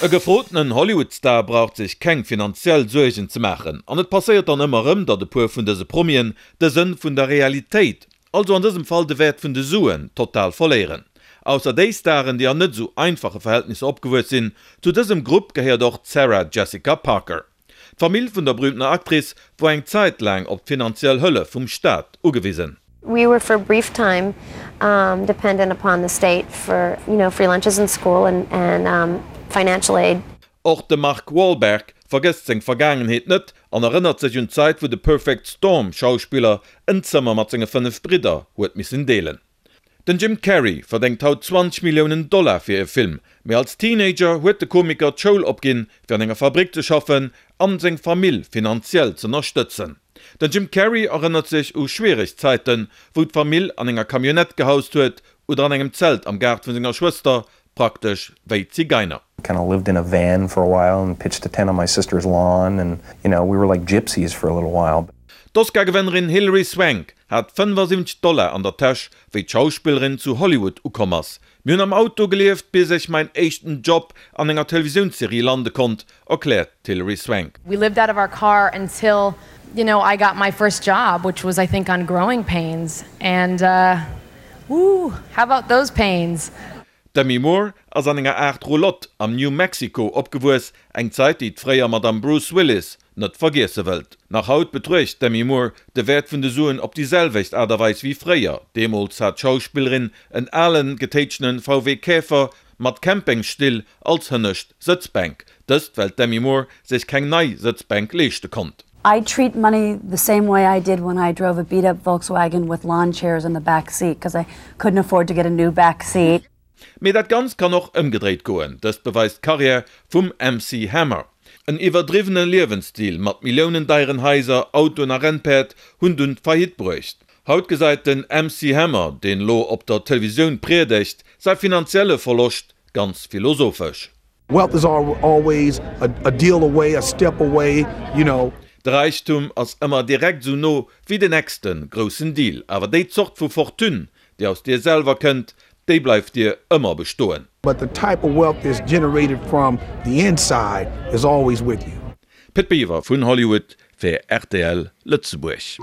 E gefrotenen Hollywood-Star braucht sech keng finanziell Suergen ze maachen. An et passéiert dann ëmmer erëm, datt e puer vun dëse Promien de Sënn vun der Realitéit, also an dësem Fall de Wäert vun de Suen, total verléieren. Ausser déi Staren, déi an net esou einfache Verhältnisser opgewuess sinn. Zu dësem Grupp gehéiert och d'Sarah Jessica Parker. D'Famill vun der berüümtener Actrice wor eng Zäit laang op d'finanziell Hëllef vum Staat ugewisen. We were for a brief time dependent upon the state for, you know, free lunches in school and and financial aid. Och de Mark Wahlberg vergësst seng Vergaangenheet net an erënnert sech un d'Zäit wou de Perfect Storm Schauspiller en Zëmmer mat senge 5 Bridder huet missen deelen. Den Jim Carrey verdéngt haut 20 Milliounen Dollar fir e Film, mee als Teenager huet de Komiker d'Schoul opginn, fir an enger Fabrick ze schaffen an seng Famill finanziell z'ënnerstëtzen. Den Jim Carrey erënnert sech u schwiereg Zäiten, wou d'Famill an enger Camionnette gehaust huet oder an engem Zelt am Gaart vu senger Schwëster, praktesch wéi Zigeiner. Kinda lived in a van for a while and pitched a tent on my sister's lawn and you know we were like gypsies for a little while. D'Oscar-Gewënnerin Hilary Swank hat 75 Dollar an der Täsch, wéi d'Schauspillerin zu Hollywood ukomm ass. Mir hunn am Auto gelieft, bis ech mäin éischten Job an enger Televisiounsserie lande konnt, erkläert d'Hilary Swank. We lived out of our car until you know I got my first job, which was I think on Growing Pains and woo, how about those pains? D'Demi Moore ass an enger Aart Roulotte am New Mexico opgewuess, eng Zäit, déi d'fréier Madame Bruce Willis net vergiesse wëllt. Nach haut betruecht d'Demi Moore de Wäert vun de Suen op déi selwecht Aart a Weis wéi fréier. Deemools hat d'Schauspillerin en alen, getéitschenen VW Käfer mat Campingstill als hënnescht Sëtzbänk. Dëst well d'Demi Moore sech keng nei Sëtzbänk leeschte konnt. I treat money the same way I did when I drove a beat up Volkswagen with lawn chairs in the back seat cause I couldn't afford to get a new back seat. Mee dat Ganzt kann och ëmgedréit goen. Dëst beweist d'Karriär vum MC Hammer. En iwwerdriwwene Liewensstil mat Milliounen deieren Haiser, Autoen a Rennpäerd hunn dunn d'Faillite bruecht. Haut gesäit den MC Hammer, deen elo op der Televisioun priedegt, säi finanzielle Verloscht ganz philosophesch. Wealth is always a deal away, a step away, you know. De Räichtum ass ëmmer direkt esou no wéi den nächste groussen Deal. Awer déi Zort vu Fortune, déi aus dir selwer kënnt, déi bleift dir ëmmer bestoen. But the type of wealth that's generated from the inside is always with you. Pit Biwer vun Hollywood fir rtl Lëtzebuerg.